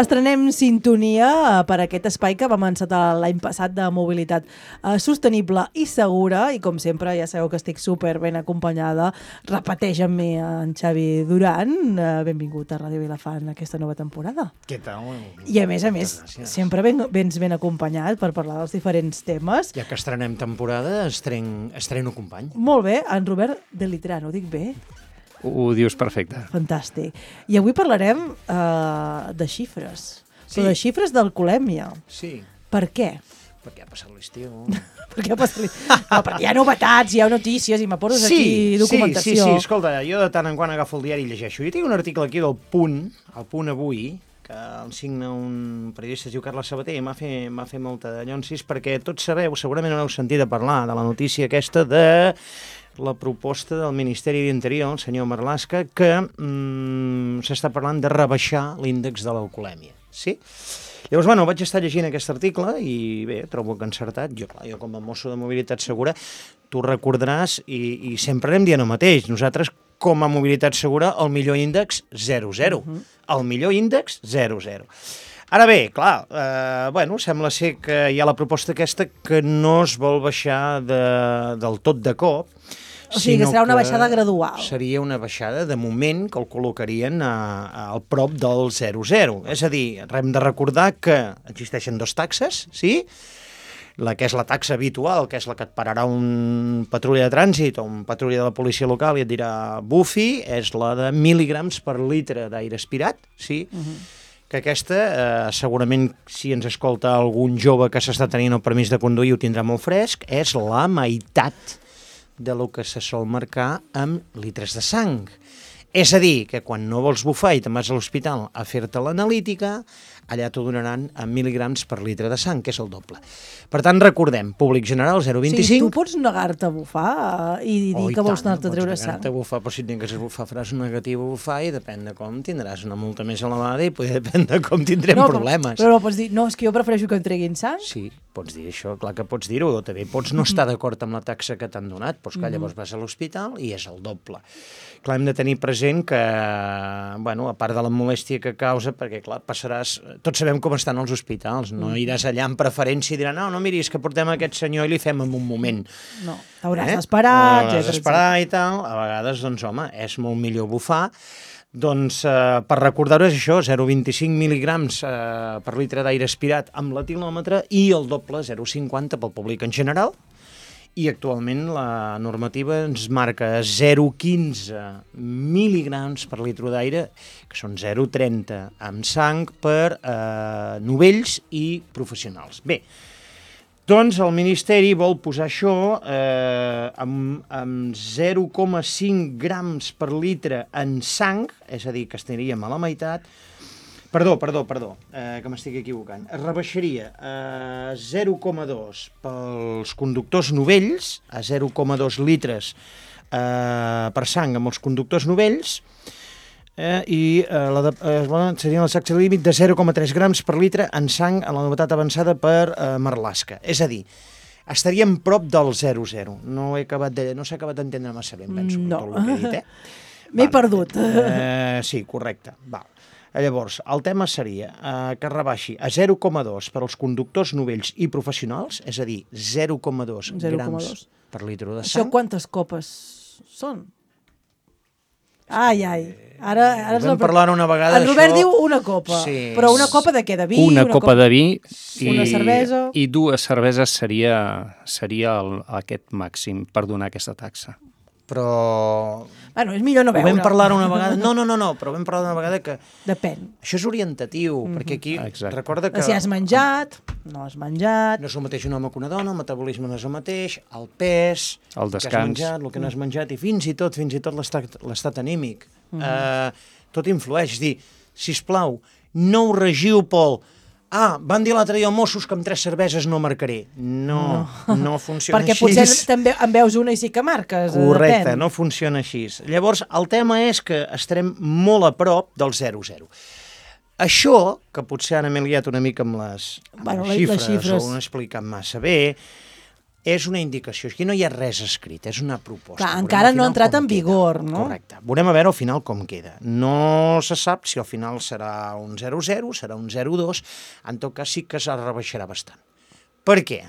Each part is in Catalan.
Estrenem sintonia per aquest espai que vam encetar l'any passat de mobilitat sostenible i segura, i com sempre ja sabeu que estic super ben acompanyada. Repeteix amb mi en Xavi Duran. Benvingut a Ràdio Vilafant aquesta nova temporada. Què tal? I a més, sempre vens ben acompanyat per parlar dels diferents temes. Ja que estrenem temporada, estreno company. Molt bé, en Robert de Litrano, ho dic bé? Ho dius perfecte. Fantàstic. I avui parlarem de xifres. Sí. Però de xifres d'alcoholèmia. Sí. Per què? Perquè ha passat l'estiu. Perquè ha passat l'estiu. No, perquè hi ha novetats, hi ha notícies i m'apores aquí documentació. Sí. Escolta, jo de tant en quant agafo el diari i llegeixo. Jo tinc un article aquí del Punt, el Punt Avui, que el signa un periodista, es diu Carles Sabater, i m'ha fet molta de llonsis, perquè tots sabeu, segurament heu sentit a parlar de la notícia aquesta de la proposta del Ministeri d'Interior, el senyor Marlaska, que s'està parlant de rebaixar l'índex de l'alcoholèmia. Sí? Llavors, vaig estar llegint aquest article i bé, trobo que encertat. Jo com a mosso de mobilitat segura, tu recordaràs, i sempre anem dient el mateix, nosaltres com a mobilitat segura, el millor índex 0-0. El millor índex 0-0. Ara bé, clar, sembla ser que hi ha la proposta aquesta que no es vol baixar del tot de cop. O sigui, que serà una baixada gradual. Seria una baixada, de moment, que el col·locarien al prop del 0-0. És a dir, hem de recordar que existeixen dues taxes, sí? La que és la taxa habitual, que és la que et pararà un patrulla de trànsit o un patrulla de la policia local i et dirà bufi, és la de mil·ligrams per litre d'aire aspirat, sí? Que aquesta, segurament, si ens escolta algun jove que s'està tenint el permís de conduir ho tindrà molt fresc, és la meitat de lo que se sol marcar amb litres de sang. És a dir, que quan no vols bufar i te'n vas a l'hospital a fer-te l'analítica, allà t'ho donaran en mil·ligrams per litre de sang, que és el doble. Per tant, recordem, públic general 0,25... Sí, tu pots negar-te a bufar i dir que vols anar-te a treure sang. Negar-te a bufar, però si et negues a bufar faràs un negatiu a bufar i depèn de com tindràs una multa més elevada i depèn de com tindrem problemes. Però pots dir, no, és que jo prefereixo que em treguin sang. Sí, pots dir això, clar que pots dir-ho, o també pots no estar d'acord amb la taxa que t'han donat, però que llavors vas a l'hospital i és el doble. Clar, hem de tenir present que, a part de la molèstia que causa, perquè, clar, passaràs... Tots sabem com estan els hospitals, no iràs allà amb preferència i diran, no, miri, és que portem aquest senyor i li fem en un moment. No, t'hauràs d'esperar, Hauràs d'esperar i tal. A vegades, doncs, home, és molt millor bufar. Doncs, per recordar-ho és això, 0,25 mil·ligrams per litre d'aire aspirat amb l'etilòmetre i el doble, 0,50 pel públic en general. I actualment la normativa ens marca 0,15 mil·ligrams per litre d'aire, que són 0,30 amb sang per novells i professionals. Bé, doncs el Ministeri vol posar això amb 0,5 grams per litre en sang, és a dir, que estaríem a la meitat. Perdó, que m'estic equivocant. Es rebaixaria a 0,2 pels conductors novells, a 0,2 litres per sang amb els conductors novells, i seria la taxa límit de 0,3 grams per litre en sang a la novetat avançada per Marlaska. És a dir, estaríem prop del 0,0. No s'ha acabat d'entendre massa bé, penso, tot el que he dit, M'he perdut. Sí, correcte, val. Llavors, el tema seria que es rebaixi a 0,2 per als conductors novells i professionals, és a dir, 0,2 grams per litre de sang. Això quantes copes són? Ai. Ara vam parlar una vegada d'això. En Robert diu una copa, però una copa de què? De vi? Una copa de vi una cervesa? I 2 cerveses seria aquest màxim per donar aquesta taxa. Però... és millor no veure. Vam parlar una vegada... No, però vam parlar una vegada que... Depèn. Això és orientatiu, perquè aquí recorda que... Si has menjat, no has menjat... No és el mateix un home que una dona, el metabolisme no és el mateix, el pes... El descans. Que has menjat, el que no has menjat, i fins i tot l'estat anímic. Tot influeix. És dir, sisplau, no ho regiu pel... van dir l'altre dia Mossos que amb 3 cerveses no marcaré. No funciona perquè així. Perquè potser també en veus una i sí que marques. Correcte, depèn. no funciona així. Llavors, el tema és que estarem molt a prop del 0,0. Això, que potser ara m'he liat una mica amb les xifres, o no he explicat massa bé, és una indicació. Aquí no hi ha res escrit, és una proposta. Clar, Veurem encara al no ha final entrat com en queda. vigor, no? Correcte. Veurem a veure al final com queda. No se sap si al final serà un 0-0, serà un 0-2, en tot cas sí que es rebaixarà bastant. Per què?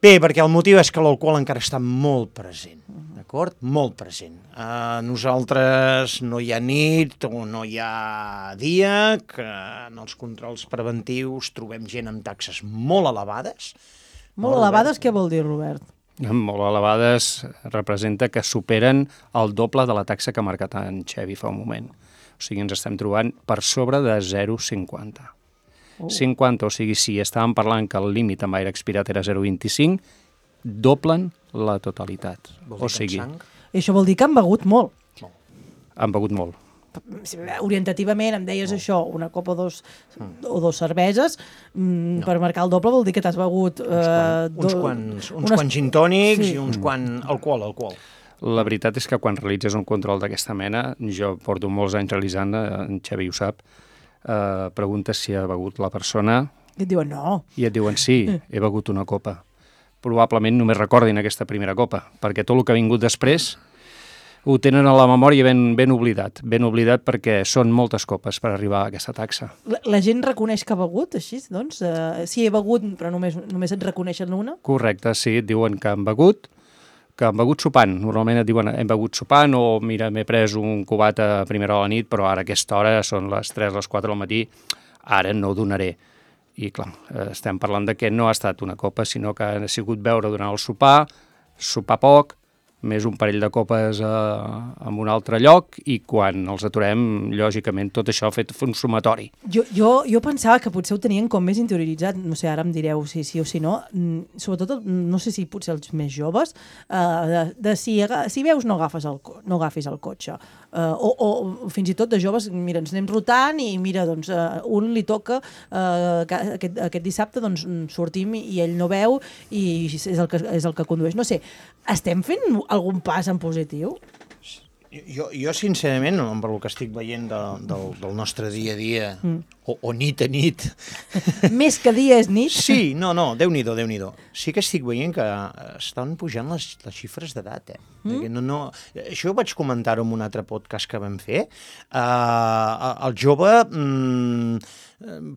Bé, perquè el motiu és que l'alcohol encara està molt present, d'acord? Molt present. Nosaltres no hi ha nit o no hi ha dia que en els controls preventius trobem gent amb taxes molt elevades. Molt elevades, què vol dir, Robert? Molt elevades representa que superen el doble de la taxa que ha marcat en Xevi fa un moment. O sigui, ens estem trobant per sobre de 0,50. 50, o sigui, si estàvem parlant que el límit amb aire expirat era 0,25, doblen la totalitat. O sigui, I això vol dir que han begut molt. han begut molt. Orientativament em deies això, una copa o dos cerveses, per marcar el doble vol dir que t'has begut... uns quants gin tònics i uns quants alcohol. La veritat és que quan realitzes un control d'aquesta mena, jo porto molts anys realitzant, en Xevi ho sap, preguntes si ha begut la persona I et diuen no. i et diuen sí, he begut una copa. Probablement només recordin aquesta primera copa, perquè tot el que ha vingut després ho tenen a la memòria ben oblidat perquè són moltes copes per arribar a aquesta taxa. La gent reconeix que ha begut, així, doncs? Sí, he begut, però només et reconeixen una? Correcte, sí, et diuen que han begut sopant. Normalment et diuen hem begut sopant o mira, m'he pres un cubat a primera hora de la nit, però ara a aquesta hora són les 3, les 4 del matí, ara no ho donaré. I clar, estem parlant de que no ha estat una copa, sinó que ha sigut beure durant el sopar poc, més un parell de copes en un altre lloc i quan els aturem, lògicament, tot això ha fet un sumatori. Jo pensava que potser ho tenien com més interioritzat, no sé, ara em direu si sí o si no, sobretot, no sé si potser els més joves, si veus no agafis el cotxe, o fins i tot de joves, mira, ens anem rotant i mira, doncs, un li toca aquest dissabte, doncs sortim i ell no veu i és el que condueix. No sé, estem fent algun pas en positiu? Jo sincerament, amb el que estic veient del nostre dia a dia, o nit a nit... Més que dia és nit? Sí, no, Déu-n'hi-do. Sí que estic veient que estan pujant les xifres d'edat, Això ho vaig comentar en un altre podcast que vam fer. El jove...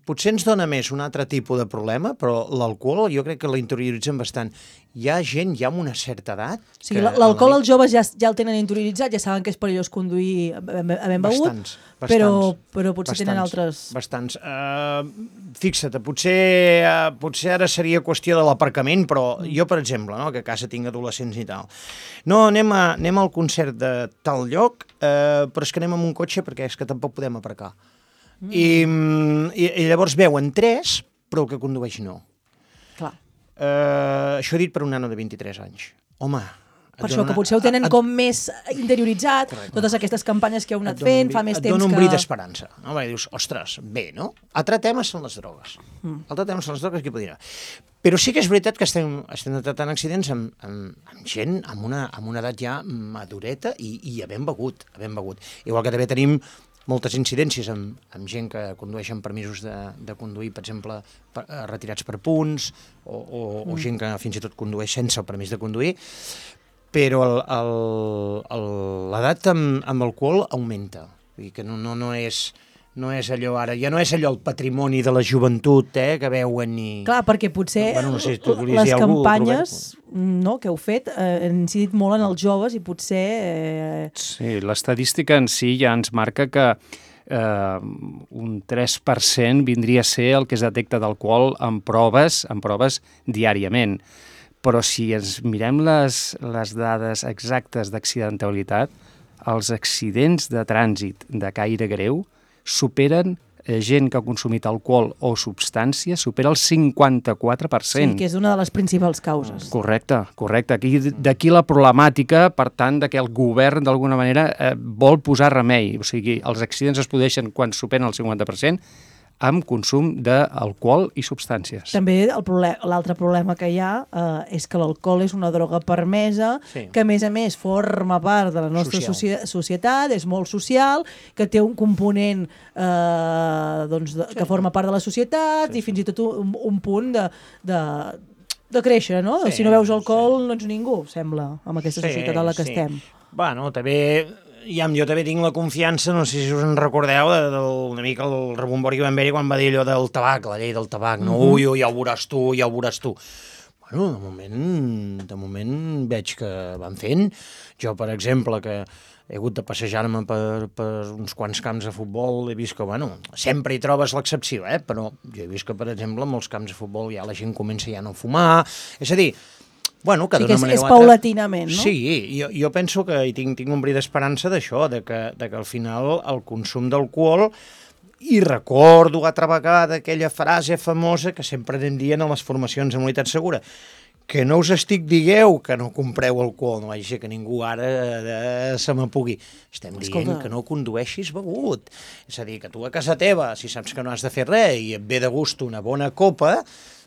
potser ens dona més un altre tipus de problema, però l'alcohol jo crec que la interioritzem bastant. Hi ha gent ja amb una certa edat... O sigui, l'alcohol els joves ja el tenen interioritzat, ja saben que és perillós conduir havent begut, però potser tenen altres... Bastants. Fixa't, potser ara seria qüestió de l'aparcament, però jo, per exemple, que a casa tinc adolescents i tal, no, anem al concert de tal lloc, però és que anem amb un cotxe perquè és que tampoc podem aparcar. I llavors veuen 3, però el que condueix no. Clar. Això dit per un nano de 23 anys. Home... Per això, que potser ho tenen com més interioritzat, totes aquestes campanyes que heu anat fent, fa més temps que... Et dona un bri d'esperança. No? Perquè dius, ostres, bé, no? Altre tema són les drogues. Qui podria... Però sí que és veritat que estem tratant accidents amb gent amb una edat ja madureta i havent begut. Igual que també tenim moltes incidències amb gent que condueix amb permisos de conduir, per exemple, retirats per punts, o gent que fins i tot condueix sense el permís de conduir, però l'edat amb alcohol augmenta. Vull dir que no és allò ara, ja no és allò el patrimoni de la joventut que veuen i... Clar, perquè potser les campanyes que heu fet han incidit molt en els joves i potser... Sí, l'estadística en si ja ens marca que un 3% vindria a ser el que es detecta d'alcohol en proves diàriament. Però si ens mirem les dades exactes d'accidentalitat, els accidents de trànsit de caire greu superen gent que ha consumit alcohol o substància, supera el 54%. Sí, que és una de les principals causes. Correcte. D'aquí la problemàtica, per tant, de que el govern, d'alguna manera, vol posar remei. O sigui, els accidents es produeixen quan superen el 50%, amb consum d'alcohol i substàncies. També l'altre problema que hi ha és que l'alcohol és una droga permesa, que a més forma part de la nostra societat, és molt social, que té un component que forma part de la societat i fins i tot un punt de créixer, no? Sí, Si no veus alcohol, no ets ningú, sembla, amb aquesta Sí, societat en la que estem. Bueno, també, jo també tinc la confiança, no sé si us en recordeu, una mica el rebombori que vam veure quan va dir allò del tabac, la llei del tabac, no? Ui, ja ho veuràs tu, ja ho veuràs tu. Bueno, de moment veig que van fent. Jo, per exemple, que he hagut de passejar-me per uns quants camps de futbol, he vist que, bueno, sempre hi trobes l'excepció, però jo he vist que, per exemple, en molts camps de futbol ja la gent comença ja a no fumar, és a dir, bueno, que Sí, d'una que manera és o altra... paulatinament, no? Sí, jo penso que hi tinc un bri d'esperança d'això, de que al final el consum d'alcohol, i recordo altra vegada aquella frase famosa que sempre anem dient a les formacions de mobilitat segura, que no us estic digueu que no compreu alcohol, no vagi que ningú ara se m'apugui. Estem dient que no condueixis begut. És a dir, que tu a casa teva, si saps que no has de fer res i et ve de gust una bona copa,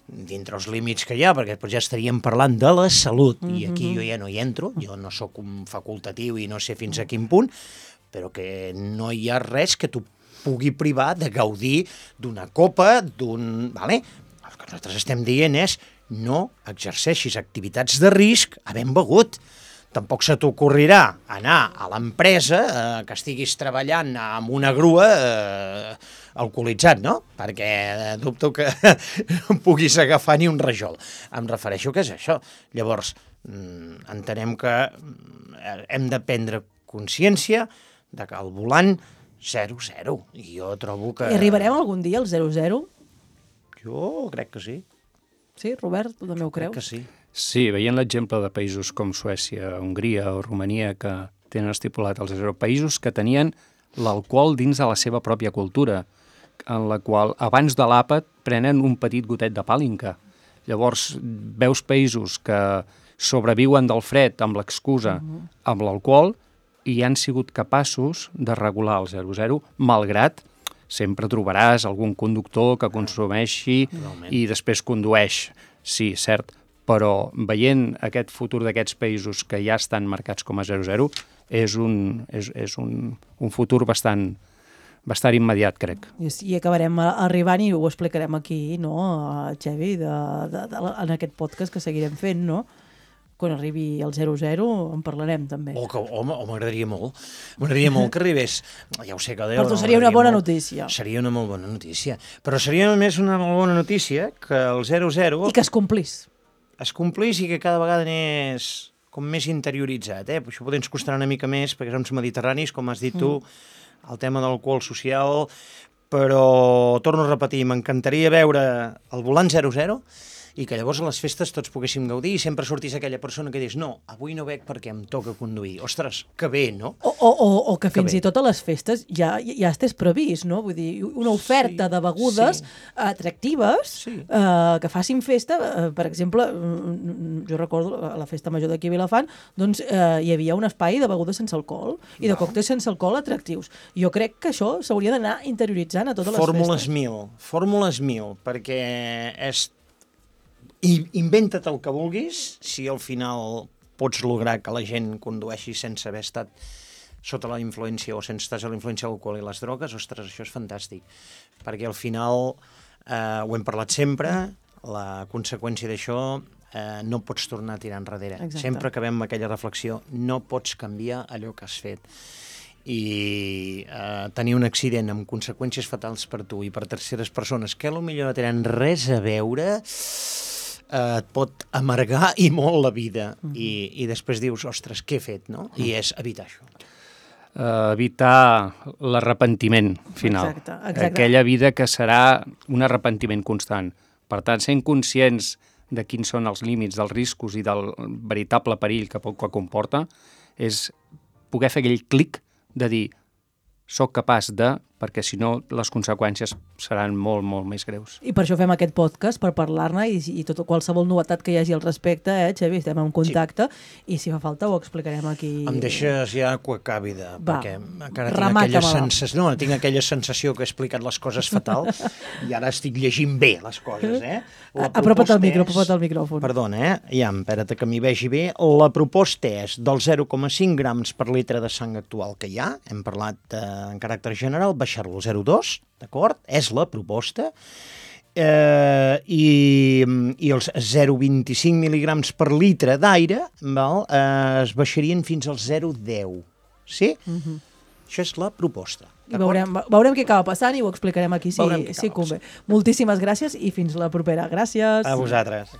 dintre els límits que hi ha, perquè després ja estaríem parlant de la salut, i aquí jo ja no hi entro, jo no sóc un facultatiu i no sé fins a quin punt, però que no hi ha res que tu pugui privar de gaudir d'una copa, Vale? El que nosaltres estem dient és no exerceixis activitats de risc havent begut. Tampoc se t'ocorrirà anar a l'empresa que estiguis treballant amb una grua alcoholitzat, no? Perquè dubto que puguis agafar ni un rajol. Em refereixo que és això. Llavors, entenem que hem de prendre consciència de que al volant 0-0. I jo trobo que... I arribarem algun dia al 0-0? Jo crec que sí. Sí, Robert, tu també ho creus? Crec que sí. Sí, veient l'exemple de països com Suècia, Hongria o Romania que tenen estipulat els 0, països que tenien l'alcohol dins de la seva pròpia cultura, en la qual abans de l'àpat prenen un petit gotet de pàlinca. Llavors veus països que sobreviuen del fred amb l'excusa amb l'alcohol i han sigut capaços de regular el 0-0, malgrat sempre trobaràs algun conductor que consumeixi i després condueix. Sí, cert, però veient aquest futur d'aquests països que ja estan marcats com a 0-0, és un futur bastant immediat, crec. I acabarem arribant i ho explicarem aquí, no, Xevi, en aquest podcast que seguirem fent, no? Quan arribi el 0-0 en parlarem també. M'agradaria molt. M'agradaria molt que arribés. Ja ho sé que Per tu seria una bona notícia. Seria una molt bona notícia. Però seria només una molt bona notícia que el 0-0... I que es complís. Es complís i que cada vegada anés com més interioritzat. Això potser ens costarà una mica més perquè som mediterranis, com has dit tu, el tema de l'alcohol social, però torno a repetir, m'encantaria veure el volant 0-0 i que llavors a les festes tots poguéssim gaudir i sempre sortís aquella persona que dius no, avui no bec perquè em toca conduir. Ostres, que bé, no? O que fins i tot a les festes ja estàs previst, no? Vull dir, una oferta de begudes atractives que facin festa. Per exemple, jo recordo a la festa major d'aquí a Vilafant, doncs hi havia un espai de begudes sense alcohol i de còctels sense alcohol atractius. Jo crec que això s'hauria d'anar interioritzant a totes les festes. Fórmules 1000, perquè és... Inventa't el que vulguis, si al final pots lograr que la gent condueixi sense haver estat sota la influència o sense estar a la influència de l'alcohol i les drogues, ostres, això és fantàstic. Perquè al final, ho hem parlat sempre, la conseqüència d'això no pots tornar a tirar enrere. Exacte. Sempre acabem amb aquella reflexió, no pots canviar allò que has fet. I tenir un accident amb conseqüències fatals per tu i per terceres persones que potser no tenen res a veure... et pot amargar i molt la vida. I després dius, ostres, què he fet, no? I és evitar això. Evitar l'arrepentiment final. Exacte. Aquella vida que serà un arrepentiment constant. Per tant, sent conscients de quins són els límits, dels riscos i del veritable perill que comporta, és poder fer aquell clic de dir soc capaç de, perquè si no les conseqüències seran molt, molt més greus. I per això fem aquest podcast, per parlar-ne i tota qualsevol novetat que hi hagi al respecte, Xavi, estem en contacte i si fa falta ho explicarem aquí. Em deixes ja que ho acabi perquè encara tinc aquella sensació, tinc aquella sensació que he explicat les coses fatal i ara estic llegint bé les coses, Apropa't al micròfon. Perdona, espera't que m'hi vegi bé. La proposta és del 0,5 grams per litre de sang actual que hi ha, hem parlat en caràcter general, baixar-lo al 0,2, d'acord? És la proposta. i els 0,25 mil·lígrams per litre d'aire es baixarien fins als 0,10. Sí? Això és la proposta. I veurem què acaba passant i ho explicarem aquí si convé. Moltíssimes gràcies i fins la propera. Gràcies. A vosaltres.